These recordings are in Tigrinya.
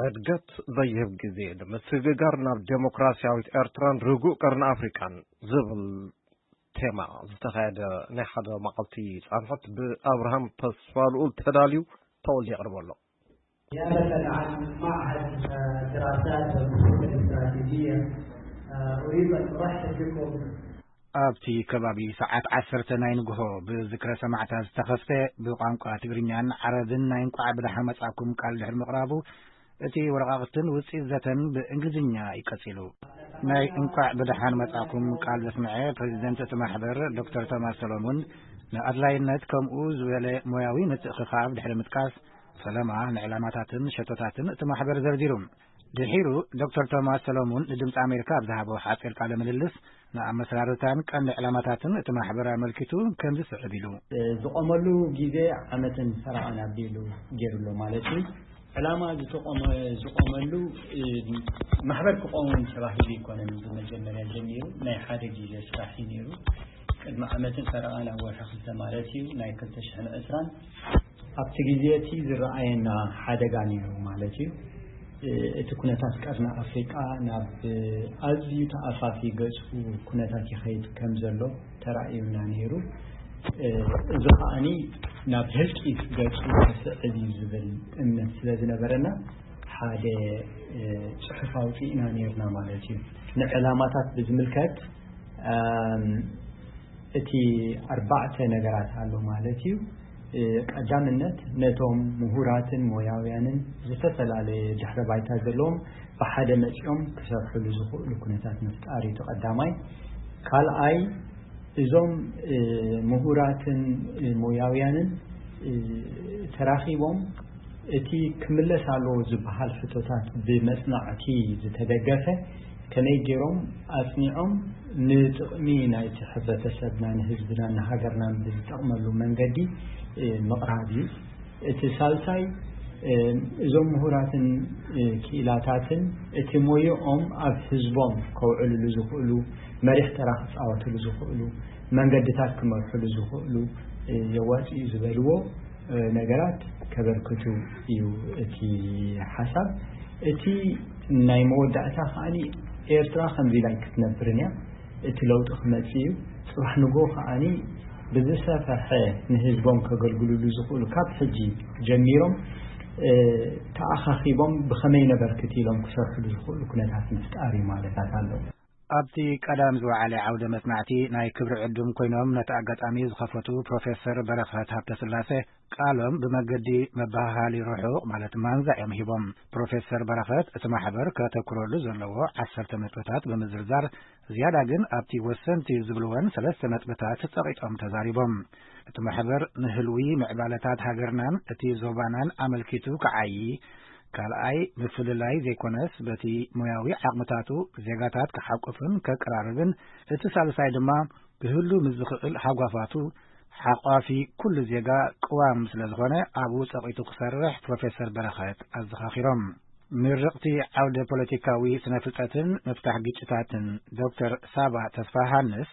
ዕድገት ዘይህብ ግዜ ንምስግጋር ናብ ዴሞክራሲያዊት ኤርትራን ርጉእ ቀርኒ ኣፍሪቃን ዝብል ቴማ ዝተኻየደ ናይ ሓደ መዓልቲ ጻንሖት ብኣብርሃም ተስፋልኡል ተዳልዩ ተወልደ የቕርቦ ኣሎ። نيابة عن معهد الدراسات والبحوث الاستراتيجية، أريد أن أرحب بكم. ኣብቲ ከባቢ ሰዓት ዓሰርተ ናይ ንግሆ ብዝክረ ሰማዕታት ዝተኸፍተ ብቋንቋ ትግርኛን ዓረብን ናይ እንቋዕ ብደሓን መጻእኩም ቃል ድሕሪ ምቕራቡ፣ እቲ ወረቓቕትን ውጽኢት ዘተን ብእንግሊዝኛ እዩ ቀጺሉ። ናይ እንቋዕ ብደሓን መጻእኩም ቃል ዘስምዐ ፕሬዚደንት እቲ ማሕበር ዶክተር ቶማስ ሰሎሙን፣ ንኣድላይነት ከምኡ ዝበለ ሞያዊ ምትእኽኻብ ድሕሪ ምጥቃስ፣ ፈለማ ንዕላማታትን ሸቶታትን እቲ ማሕበር ዘርዚሩ። ድሒሩ ዶክተር ቶማስ ሰሎሙን ንድምፂ ኣሜሪካ ኣብ ዝሃቦ ሓፂር ቃለ ምልልስ፣ ንኣመሰራርታን ቀንዲ ዕላማታትን እቲ ማሕበር ኣመልኪቱ ከምዚ ስዕብ ኢሉ። ዝቆመሉ ግዜ ዓመትን ፈረቓን ኣቢሉ ገይሩ ኣሎ ማለት እዩ። ዕላማ ዝተቆመ-፣ ዝቆመሉ፣ እ፣ ማሕበር ክቆም ተባሂሉ ኣይኮነን ብመጀመርያ ጀሚሩ፣ ናይ ሓደ ግዜ ስራሕ እዩ ነይሩ። ቅድሚ ዓመትን ፈረቓን ኣብ ወርሒ ክልተ ማለት እዩ፣ ናይ ክልተ ሽሕን ዕስራን ኣብቲ ግዜ እቲ ዝረኣየና ሓደጋ ነይሩ ማለት እዩ። እ፣ እቲ ኩነታት ቀርኒ ኣፍሪቃ ናብ ኣዝዩ ተኣፋፊ ገጹ ኩነታት ይኸይድ ከም ዘሎ ተራእዩና ነይሩ። እ፣ እዚ ከኣኒ ናብ ህልቂት ገጹ ክስዕብ እዩ ዝብል እምነት ስለ ዝነበረና ሓደ፣ እ፣ ጽሑፍ ኣውጺእና ነይርና ማለት እዩ። ንዕላማታት ብዝምልከት፣ እም፣ እቲ ኣርባዕተ ነገራት ኣሎ ማለት እዩ። እ፣ ቀዳምነት ነቶም ምሁራትን ሞያውያንን ዝተፈላለየ ድሕረ ባይታ ዘለዎም ብሓደ መጺኦም ክሰርሕሉ ዝኽእሉ ኩነታት ምፍጣር እዩ እቲ ቀዳማይ። ካልኣይ እዞም፣ እ፣ ምሁራትን፣ እ፣ ሞያውያንን፣ እ፣ ተራኺቦም እቲ ክምለስ ኣለዎ ዝበሃል ሕቶታት ብመጽናዕቲ ዝተደገፈ ከመይ ገይሮም ኣጽኒዖም ንጥቕሚ ናይቲ ሕብረተሰብና፣ ንህዝብና፣ ንሃገርናን ብዝጠቕመሉ መንገዲ፣ እ፣ ምቕራብ እዩ። እቲ ሳልሳይ፣ እ፣ እዞም ምሁራትን፣ እ፣ ክኢላታትን እቲ ሞይኦም ኣብ ህዝቦም ከውዕልሉ ዝኽእሉ፣ መሪሕ ተራ ክጻወትሉ ዝኽእሉ፣ መንገድታት ክመርሕሉ ዝኽእሉ፣ እ፣ የዋጽእ እዩ ዝበልዎ፣ እ፣ ነገራት ከበርክቱ እዩ እቲ ሓሳብ። እቲ ናይ መወዳእታ ከኣኒ ኤርትራ ከምዚ ኢላ ኣይክትነብርን እያ። እቲ ለውጢ ክመጽእ እዩ። ጽባሕ ንግሆ ከኣኒ ብዝሰፈሐ ንህዝቦም ከገልግልሉ ዝኽእሉ ካብ ሕጂ ጀሚሮም፣ እ፣ ተኣኻኺቦም ብኸመይ ነበርክት ኢሎም ክሰርሕሉ ዝኽእሉ ኩነታት ምፍጣር እዩ ማለታት ኣለዎ። ኣብቲ ቀዳም ዝወዓለ ዓውደ መጽናዕቲ ናይ ክብሪ ዕዱም ኮይኖም ነቲ ኣጋጣሚ ዝኸፈቱ ፕሮፌሰር በረኸት ሃብተስላሴ ቃሎም ብመገዲ መበሃሃሊ ርሑቕ ማለት ማንዛ እዮም ሂቦም። ፕሮፌሰር በረኸት እቲ ማሕበር ከተኩረሉ ዘለዎ ዓሰርተ ነጥብታት ብምዝርዛር ዝያዳ ግን ኣብቲ ወሰንቲ ዝብልወን ሰለስተ ነጥብታት ጸቒጦም ተዛሪቦም። እቲ ማሕበር ንህልዊ ምዕባለታት ሃገርናን እቲ ዞባናን ኣመልኪቱ ክዓዪ፣ ካልኣይ ምፍልላይ ዘይኮነስ በቲ ሞያዊ ዓቕምታቱ ዜጋታት ክሓቁፍን ከቀራርብን፣ እቲ ሳልሳይ ድማ ክህሉ ምስ ዝኽእል ሃጓፋቱ ሓቋፊ ኩሉ ዜጋ ቅዋም ስለ ዝኾነ ኣብኡ ጸቒጡ ክሰርሕ ፕሮፌሰር በረኸት ኣዘኻኺሮም። ምርቕቲ ዓውደ ፖለቲካዊ ስነ ፍልጠትን ምፍታሕ ግጭታትን ዶክተር ሳባ ተስፋሃንስ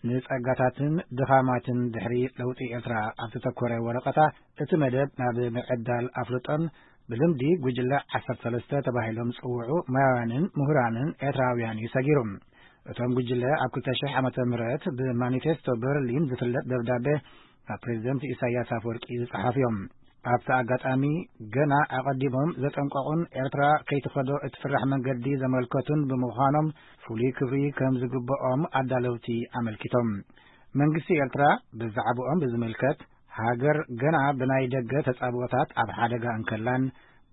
ንጸጋታትን ድኻማትን ድሕሪ ለውጢ ኤርትራ ኣብ ዝተኮረ ወረቐታ እቲ መደብ ናብ ምዕዳል ኣፍልጦን ብልምዲ ጉጅለ ዓሰርተ ሰለስተ ተባሂሎም ዝጽውዑ ሞያውያንን ምሁራንን ኤርትራውያን እዩ ሰጊሩ። እቶም ጉጅለ ኣብ ክልተ ሽሕ ዓመተ ምህረት ብማኒፌስቶ በርሊን ዝፍለጥ ደብዳቤ ናብ ፕሬዚደንት ኢሳያስ ኣፈወርቂ ዝጸሓፉ እዮም። ኣብቲ ኣጋጣሚ ገና ኣቐዲሞም ዘጠንቀቑን ኤርትራ ከይትኸዶ እትፍራሕ መንገዲ ዘመልከቱን ብምዃኖም ፍሉይ ክብሪ ከም ዝግብኦም ኣዳለውቲ ኣመልኪቶም። መንግስቲ ኤርትራ ብዛዕባኦም ብዝምልከት ሃገር ገና ብናይ ደገ ተጻብኦታት ኣብ ሓደጋ እንከላን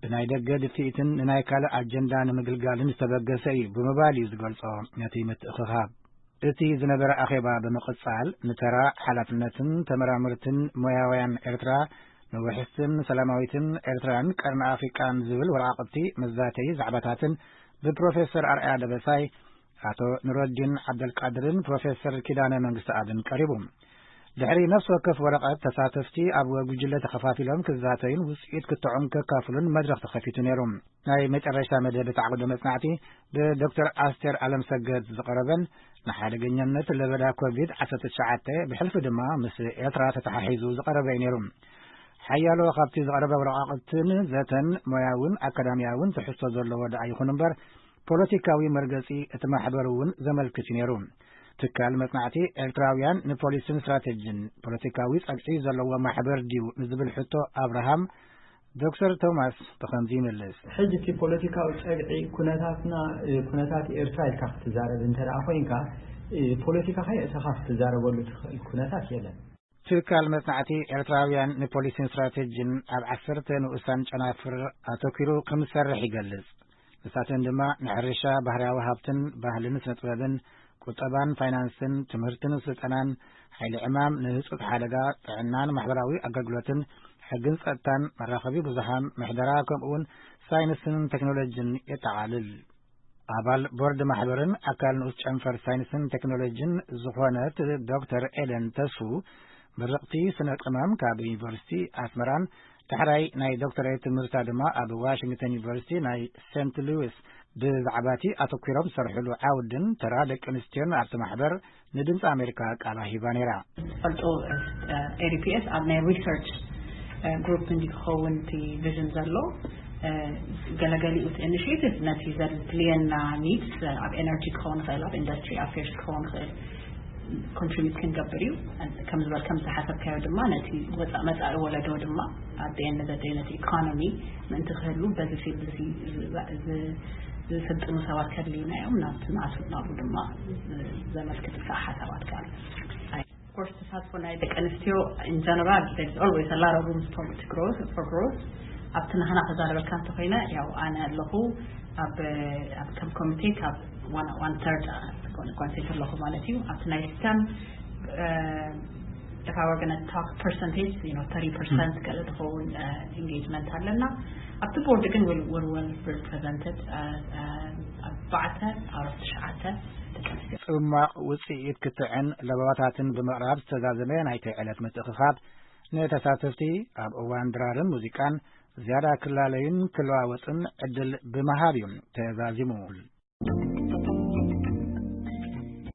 ብናይ ደገ ድፍኢትን ንናይ ካልእ ኣጀንዳ ንምግልጋልን ዝተበገሰ እዩ ብምባል እዩ ዝገልጾ ነቲ ምትእኽኻብ። እቲ ዝነበረ ኣኼባ ብምቕጻል ንተራ ሓላፍነትን ተመራመርትን ሞያውያን ኤርትራ ንውሕስትን ሰላማዊትን ኤርትራን ቀርኒ ኣፍሪቃን ዝብል ወረቓቕቲ መዛተዪ ዛዕባታትን ብፕሮፌሰር ኣርኣያ ደበሳይ፣ ኣቶ ኑረዲን ዓብደልቃድርን ፕሮፌሰር ኪዳነ መንግስተኣብን ቀሪቡ። ድሕሪ ነፍሲ ወከፍ ወረቐት ተሳተፍቲ ኣብ ጉጅለ ተኸፋፊሎም ክዛተዩን ውፅኢት ክትዖም ከካፍሉን መድረኽ ተኸፊቱ ነይሩ። ናይ መጨረሻ መደብ እቲ ዓውደ መጽናዕቲ ብዶክተር ኣስቴር ኣለምሰገድ ዝቐረበን ንሓደገኛነት ለበዳ ኮቪድ ዓሰርተ ትሽዓተ ብሕልፊ ድማ ምስ ኤርትራ ተተሓሒዙ ዝቐረበ እዩ ነይሩ። ሓያሎ ካብቲ ዝቐረበ ወረቓቕትን ዘተን ሞያውን ኣካዳሚያውን ትሕዝቶ ዘለዎ ደኣ ይኹን እምበር፣ ፖለቲካዊ መርገጺ እቲ ማሕበር እውን ዘመልክት እዩ ነይሩ። ትካል መጽናዕቲ ኤርትራውያን ንፖሊስን ስትራቴጂን ፖለቲካዊ ጸግዒ ዘለዎ ማሕበር ድዩ ንዝብል ሕቶ ኣብርሃም፣ ዶክተር ቶማስ ብኸምዚ ይምልስ። ሕጂ እቲ ፖለቲካዊ ጸግዒ ኩነታትና፣ እ፣ ኩነታት ኤርትራ ኢልካ ክትዛረብ እንተ ደኣ ኮይንካ፣ እ፣ ፖለቲካኻ የእሰኻ ክትዛረበሉ ትኽእል ኩነታት የለን። ትካል መጽናዕቲ ኤርትራውያን ንፖሊሲን ስትራቴጂን ኣብ ዓሰርተ ንኡሳን ጨናፍር ኣተኲሩ ከም ዝሰርሕ ይገልጽ። ንሳተን ድማ ንሕርሻ፣ ባህርያዊ ሃብትን ባህልን ስነ ጥበብን፣ ቁጠባን ፋይናንስን፣ ትምህርትን ስልጠናን፣ ሓይሊ ዕማም፣ ንህጹጽ ሓደጋ፣ ጥዕናን ማሕበራዊ ኣገልግሎትን፣ ሕግን ጸጥታን፣ መራኸቢ ብዙሃን፣ ምሕደራ፣ ከምኡውን ሳይንስን ቴክኖሎጂን የጠቓልል። ኣባል ቦርድ ማሕበርን ኣካል ንኡስ ጨንፈር ሳይንስን ቴክኖሎጂን ዝኾነት ዶክተር ኤደን ተስፉ፣ ምርቕቲ ስነ ቅመም ካብ ዩኒቨርሲቲ ኣስመራን፣ ዳሕራይ ናይ ዶክተሬት ትምህርታ ድማ ኣብ ዋሽንግተን ዩኒቨርሲቲ ናይ ሴንት ሉዊስ፣ ብዛዕባ እቲ ኣተኲሮም ዝሰርሕሉ ዓውድን ተራ ደቂ ኣንስትዮን ኣብቲ ማሕበር ንድምፂ ኣሜሪካ ቃላ ሂባ ነይራ። ፈልጦ፣ ኤ ዲ ፒ ኤስ ኣብ ናይ ሪሰርች ግሩፕ እንዲ ክኸውን እቲ ቪዥን ዘሎ፣ ገለገሊኡ እቲ ኢኒሽቲቭ ነቲ ዘድልየና ኒድስ ኣብ ኤነርጂ ክኸውን ይኽእል፣ ኣብ ኢንዱስትሪ ኣፌርስ ክኸውን ይኽእል፣ ኮንትሪቢዩት ክንገብር እዩ። ከም ዝበል ከም ዝሓሰብካዮ ድማ ነቲ ወፃ-፣ መፃኢ ወለዶ ድማ ኣብ ኤን ዘ ደይ ነቲ ኢኮኖሚ ምእንቲ ክህሉ በዚ ፊልድ እዚ ዝ-፣ ዝ-፣ ዝስልጥኑ ሰባት ከድልዩና እዮም። ናብቲ ንኣቱ-፣ ናብኡ ድማ ዝ-፣ ዘመልክት ከዓ ሓሳባት ከዓ ኣሎ። Of course ተሳትፎ ናይ ደቂ ኣንስትዮ in general there is always a lot of room for to growth, for growth። ኣብቲ ናህና ክዛረበካ እንተኮይነ ያው ኣነ ኣለኹ ኣብ፣ ኣብ ከም ኮሚቴ ካብ one, one third ኮንሴፕት ኣለኹ ማለት እዩ። ኣብቲ ናይ ስቴም if I were gonna talk percentage, you know, thirty percent ገለ ዝኸውን ኢንጌጅመንት ኣለና። ኣብቲ ቦርድ ግን we're well represented። ኣርባዕተ out of ትሽዓተ ደቂ ኣንስትዮ። ጽማቕ ውጽኢት ክትዕን ለበዋታትን ብምቕራብ ዝተዛዘመ ናይቲ ዕለት ምትእኽኻብ፣ ንተሳተፍቲ ኣብ እዋን ድራርን ሙዚቃን ዝያዳ ክላለዩን ክለዋወጥን ዕድል ብምሃብ እዩ ተዛዚሙ።